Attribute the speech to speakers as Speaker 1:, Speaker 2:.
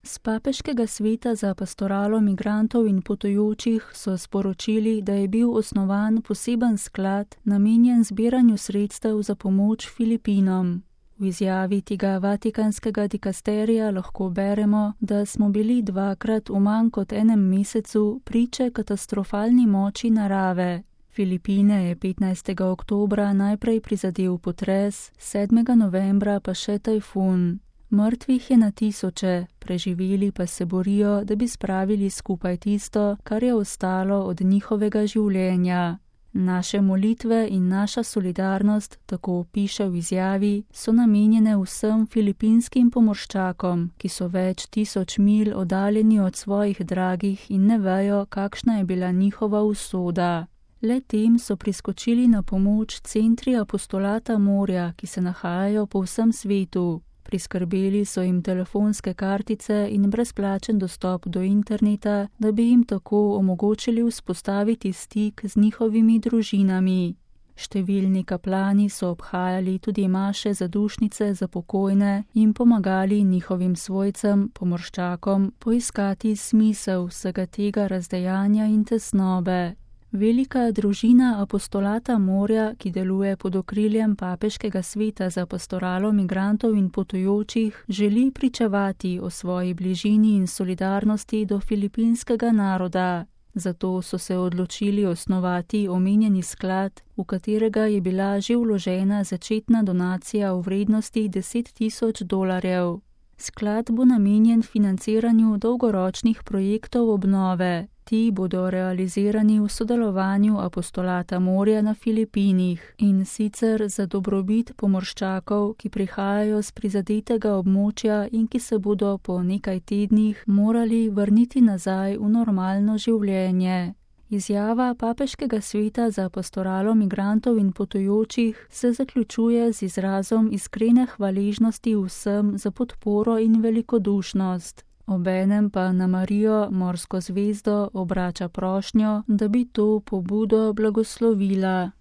Speaker 1: S papeškega sveta za pastoralo migrantov in potujočih so sporočili, da je bil osnovan poseben sklad, namenjen zbiranju sredstev za pomoč Filipinom. V izjavi tega vatikanskega dikasterija lahko beremo, da smo bili dvakrat v manj kot enem mesecu priče katastrofalni moči narave. Filipine je 15. oktobra najprej prizadel potres, 7. novembra pa še tajfun. Mrtvih je na tisoče, preživeli pa se borijo, da bi spravili skupaj tisto, kar je ostalo od njihovega življenja. Naše molitve in naša solidarnost, tako piše v izjavi, so namenjene vsem filipinskim pomorščakom, ki so več tisoč milj oddaljeni od svojih dragih in ne vejo, kakšna je bila njihova usoda. Le tem so priskočili na pomoč centri apostolata morja, ki se nahajajo po vsem svetu. Priskrbeli so jim telefonske kartice in brezplačen dostop do interneta, da bi jim tako omogočili vzpostaviti stik z njihovimi družinami. Številni kaplani so obhajali tudi maše zadušnice za pokojne in pomagali njihovim svojcem, pomorščakom, poiskati smisel vsega tega razdejanja in tesnobe. Velika družina apostolata morja, ki deluje pod okriljem papeškega sveta za pastoralo migrantov in potujočih, želi pričevati o svoji bližini in solidarnosti do filipinskega naroda. Zato so se odločili osnovati omenjeni sklad, v katerega je bila že vložena začetna donacija v vrednosti $10,000. Sklad bo namenjen financiranju dolgoročnih projektov obnove. Ti bodo realizirani v sodelovanju apostolata morja na Filipinih in sicer za dobrobit pomorščakov, ki prihajajo z prizadetega območja in ki se bodo po nekaj tednih morali vrniti nazaj v normalno življenje. Izjava papeškega sveta za pastoralo migrantov in potujočih se zaključuje z izrazom iskrene hvaležnosti vsem za podporo in velikodušnost. Obenem pa na Marijo, morsko zvezdo, obrača prošnjo, da bi to pobudo blagoslovila.